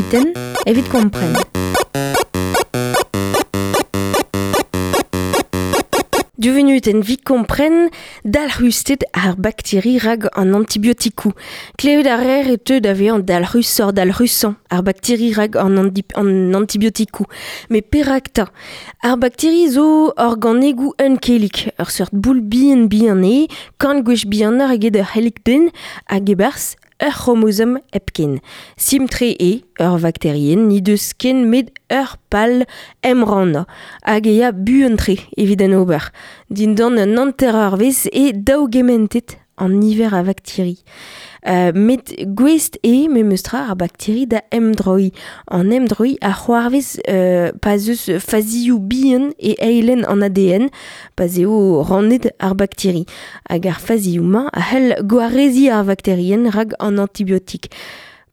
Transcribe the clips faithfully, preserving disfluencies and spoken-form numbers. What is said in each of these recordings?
munutenn evit kompren. Div vunutenn evit kompren dalc'husted ar bakteri rag an antibiotikoù. Klevet a reer e teu da vezañ dalc'husoc'h dalc'husañ ar bakteri rag an, an antibiotikoù. Met perak 'ta ? Ar bakteri zo organegoù unkellig, ur seurt boul bihan bihan eo, kant gwech bihanoc'h eget ur c'hellig den hag e-barzh ur c'hromozom hepken. Simpl-tre eo ur vakterienn n'he deus ken met ur pal emrannañ hag e ya buan-tre evit en ober. Dindan un hanter-eurvezh eo daougementet an niver a vakteri. Euh, met gouest eo memestra ar bakteri da emdroiñ. An emdroiñ a c'hoarvez euh, pa 'z eus fazioù bihan e eilenn an A D N pa 'z eo rannet ar bakteri. Hag ar fazioù-mañ a c'hell gwareziñ ar vakterienn rak an antibiotik.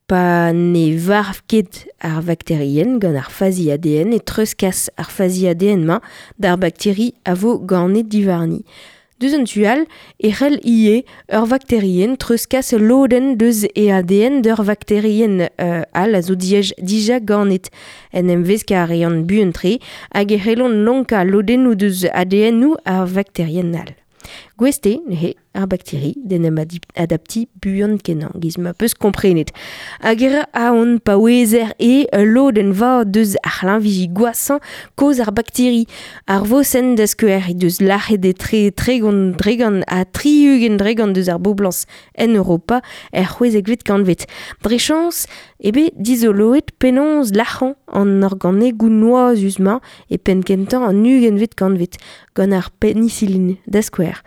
Pa ne varv ket ar vakterienn gant ar fazi A D N e treuzkas ar fazi A D N-mañ d'ar bakteri a vo ganet diwarni. Deus an tu all e c'hell ivez ur vakterienn treuzkas lodenn deus e A D N d'ur vakterienn euh, all a zo diaj, dija ganet. En em veskañ a reont buan-tre hag e c'hellont lonkañ lodennoù deus A D N-où ar vakterienn all. Gouest eo neuze ar bakteri d'en em adaptiñ buan kenañ, giz ma peus komprenet. Hag e ra aon pa ouezer eo ul lodenn vat deus ar c'hlañviji gwashañ kaoz ar bakteri. Ar vosenn da skouer he deus lac'het etre tregont dregont ha tri-ugent dregont deus ar boblañs en Europa er c'hwezekvet kantved. Dre chañs eo bet dizoloet penaos lac'hañ an organegoù noazus-mañ e penn kentañ an ugentvet kantved gant ar penicilline da skouer.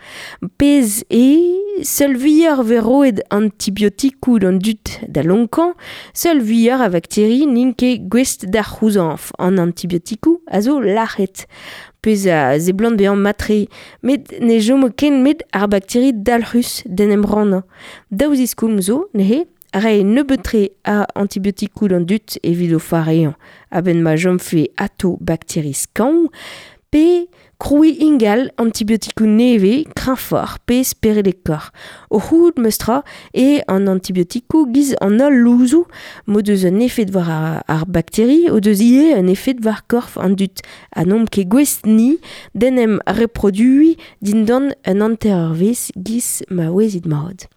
Pezh eo seul vuioc'h vez roet antibiotikoù d'an dud da lonkañ, seul vuioc'h a vakteri n'int ket gouest da c'houzañv. An antibiotikoù a zo lac'het. Pezh a seblant bezañ mat-tre, met ne chomo ken met ar bakteri dalc'hus d'en em rannañ. Daou ziskoulm zo, neuze, reiñ nebeut-tre a antibiotikoù d'an dud evit o fareañ. A-benn ma chomfe atao bakteri skañv, pe krouiñ ingal antibiotikoù nevez, kreñvoc'h pe speredekoc'h. O c'hoût meustra eo an antibiotikoù giz an holl louzoù m'o deus un efed war ar, ar bakteri o deus ivez un efed war korf an dud. Ha n'omp ket gouest ni d'en em reproduiñ dindan un hanter-eurvezh giz ma ouezit mat.